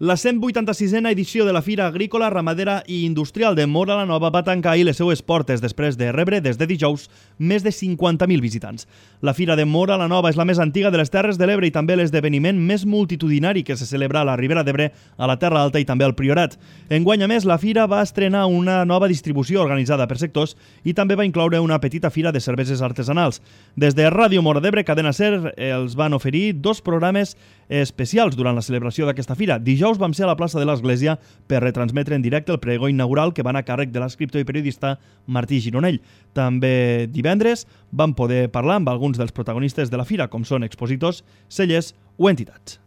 La 186a edició de la Fira Agrícola, Ramadera i Industrial de Móra la Nova va tancar ahir les seues portes després de rebre des de dijous més de 50.000 visitants. La Fira de Móra la Nova és la més antiga de les Terres de l'Ebre i també l'esdeveniment més multitudinari que se celebra a la Ribera d'Ebre, a la Terra Alta i també al Priorat. Enguany, a més, la Fira va estrenar una nova distribució organitzada per sectors i també va incloure una petita fira de cerveses artesanals. Des de Ràdio Móra d'Ebre, Cadena SER, els van oferir dos programes especials durant la celebració d'aquesta fira. Dijous vam ser a la plaça de l'Església per retransmetre en directe el pregó inaugural que va anar a càrrec de l'escriptor i periodista Martí Gironell. També divendres vam poder parlar amb alguns dels protagonistes de la fira, com són expositors, cellers o entitats.